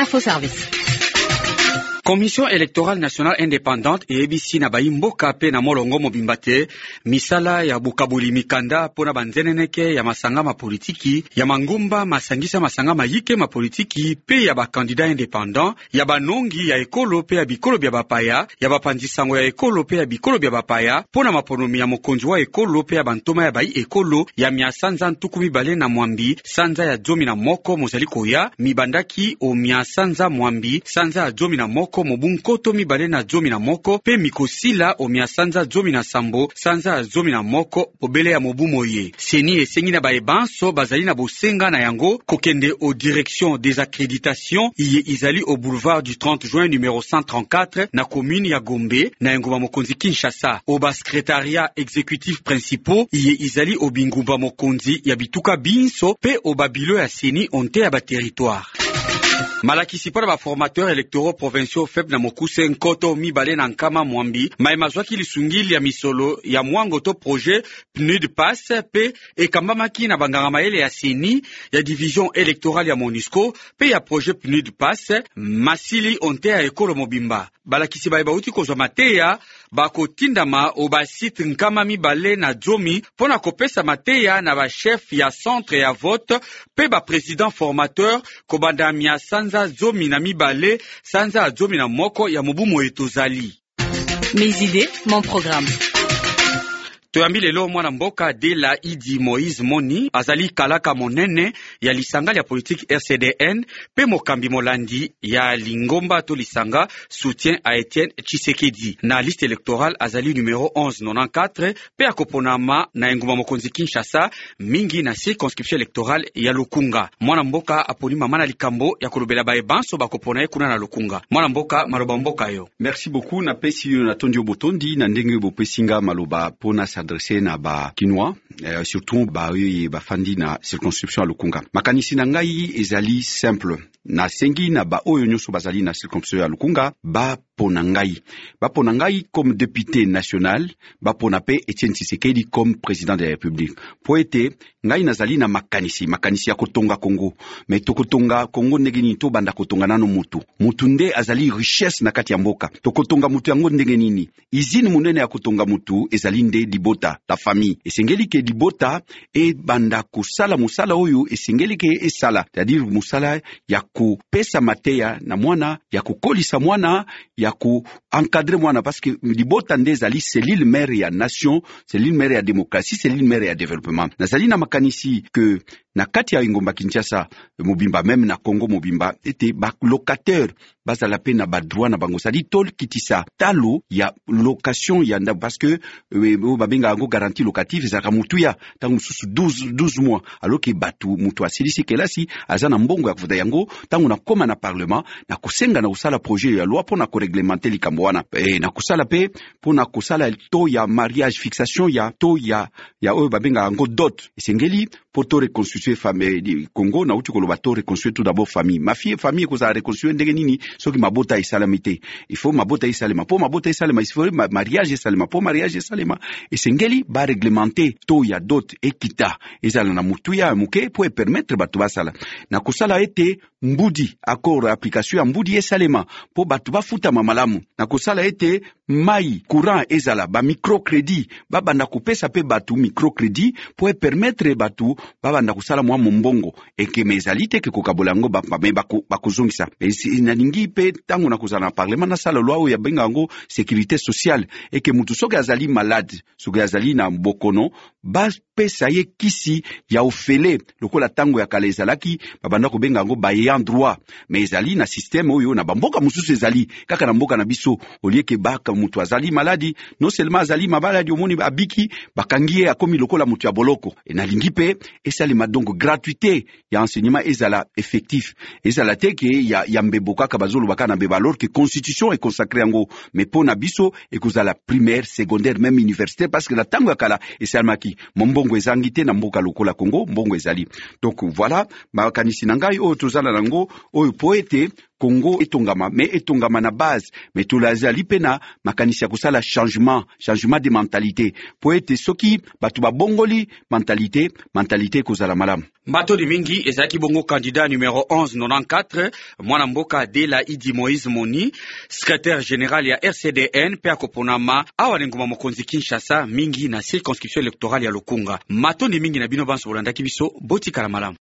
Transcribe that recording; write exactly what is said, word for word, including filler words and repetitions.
Info Service. Commission électorale nationale indépendante eyebisi na bayi mboka mpe na molongo mobimba te misala ya bokaboli mikanda mpo na banzeneneke ya masanga mapolitiki, ya mangomba masangisa masanga mayike mapolitiki mpe ya bakandida indépendant, ya banongi ya ekolo mpe ya bikolo bya bapaya, ya bapanzi sango ya ekolo mpe ya bikolo bya bapaya mpo na maponomi ya mokonzi wa ekolo mpe ya bantoma ya bayi ekolo ya mia sanza ntuku mibale na mwambi sanza ya zomi na moko mozali koya, mibandaki o mia sanza mwambi sanza ya zomi na moko mobu nkoto mibale na zomi na moko mpe mikosila o mia sanza zomi na sambo sanza ya zomi na moko bobele ya mobu moye. CENI esengi na baye banso bazali na bosenga na yango kokende o Direction des accréditations iye izali au boulevard du trente juin numéro cent trente-quatre na commune ya Gombe na engumba mokonzi Kinshasa, o basecrétariat exécutif principaux iye izali o bingumba mokonzi ya bituka binso mpe o babilo ya CENI onte ya baterritoire. Malakisi mpo na baformateur électoraux provinciaux, FEP na mokuse, nkoto mibale na nkama mwambi mayema azwaki lisungi ya misolo ya mwango to projet PNUD PASS mpe ekambamaki na banganga mayele ya CENI, ya division électorale ya MONUSCO mpe ya projet PNUD PASS masili onte ya ekolo mobimba. Balakisi baye bauti kozwa mateya bakotindama o basite nkama mibale na zomi mpo na kopesa mateya na bachef ya centre ya vote mpe baprésident formateur kobanda mia sanza zomi na mibale sanza ya zomi na moko ya mobu moye tozali. Mes idées, mon programme. Toyambi lelo mwana mboka Dela Idi Moïse Moni, azali kalaka monene ya lisanga ya politike R C D N mpe mokambi molandi ya lingomba to lisanga Soutien à Etienne Tshisekedi. Na liste électorale azali numéro mille cent quatre-vingt-quatorze mpe akoponama na engumba mokonzi Kinshasa, mingi na circonscription électorale ya Lukunga. Mwana mboka aponi mama na likambo ya kolobela baye banso bakopona ye kuna na Lukunga. Mwana mboka, maloba mboka yo. Merci beaucoup. Napesi yo, natondi yo botondi na ndenge bopesi nga maloba mpo na s'adresser na bakinois, euh, surtout baoyo bafandi na circonscription ya Lukunga. Makanisi na ngai ezali simple. Nasengi na baoyo nyonso bazali na circonscription ya Lukunga bapona ngai, bapona ngai comme député national, bapona mpe Etienne Tshisekedi comme président de la République, mpo ete ngai nazali na makanisi, makanisi ya kotonga Kongo. Me tokotonga Kongo ndenge nini? Tobanda kotonga nano mutu. Mutu nde azali richesse na kati ya mboka. Tokotonga mutu yango ndenge nini? Usine monene ya kotonga mutu ezali nde libota, la famille. Esengeli ke libota ebanda kosala mosala oyo esengeli ke esala, c'est-à-dire mosala ya kopesa mateya na mwana, ya kokolisa mwana, ya koencadrer mwana, parce que libota nde ezali cellule mère ya nation, cellule mère ya démocratie, cellule mère ya développement. Nazali na makanisi ke na kati ya engumba Kinshasa mobimba, même na Congo mobimba, ete balocataire bazala mpe na badroit na bango, c'est-à-dire tokitisa talo ya location ya ndako, parce que oyo babengaka yango garantie locative ezalaka motuya, ntango mosusu douze, douze mois, alors ke bato, moto asilisi kelasi, aza na mbongo ya kofuta yango. Ntango nakóma na parlement, nakosenga na kosala projet ya loi mpo na koréglementer likambo wana. E, nakosala mpe mpo na kosala taux ya mariage, fixation ya taux ya, ya oyo babengaka yango dot. Esengeli mpo to reconstituer famille Congo. Nauti koloba to reconstruire tout d'abord famille. Ma fille, famille ekozala reconstruire ndenge nini soki mabota esalami te? Il faut mabota esalema. Mpo mabota esalema, il faut mariage esalema. Mpo mariage esalema, esengeli baréglementer taux ya dot, ekita, ezala na motuya ya moke mpo epermettre bato basala. Na kosala ete mbudi, accord, application ya mbudi esalema mpo bato bafutama malamu. Na kosala ete mai, courant ezala, bamicrocrédit, babanda kopesa mpe bato microcrédit mpo epermettre bato babanda kosala mwa mombongo. Ekeme ezali te ke kokabola yango, me bakozongisa. Nalingi mpe ntango nakozala na parlement, nasala loi oyo yabenga yango sécurité sociale, eke mutu soki azali malade, soki azali na bokono, bapesa ye kisi ya ofele lokola ntango ya kala ezalaki, babanda kobenga yango baayant droit. Mais ezali na système oyo na bamboka mosusu, ezali kaka na mboka na biso olieke baka moto azali maladi, non seulement azali mabaladi, omoni abiki, bakangi ye, akomi lokola moto ya boloko. E nalingi mpe esalema donc gratuité ya enseignement ezala effectif, ezala te ke ya, ya mbebo kaka, bazoloba kaka na mbebo, alors que constitution econsacrer yango. Mais mpo na biso ekozala primaire, secondaire, même université, parce que na ntango ya kala esalemaki. Mombongo ezangi te na mboka lokola Congo, mbongo ezali. Donc voilà makanisi na ngai oyo tozala nango oyo, po ete Congo etongama, mais etongama na base. Mais tozali mpe na makanisi ya kosala changement changement de mentalité, po ete soki bato babongoli mentalité, mentalité ekozala malamu. Matondi mingi. Ezalaki bongo candidat numéro mille cent quatre-vingt-quatorze, mwana mboka Dela Idi Moïse Moni, secrétaire général ya R C D N, mpe akoponama awa na engumba mokonzi Kinshasa, mingi na circonscription électorale ya Lukunga. Matondi mingi na bino banso bolandaki biso. Botikala malamu.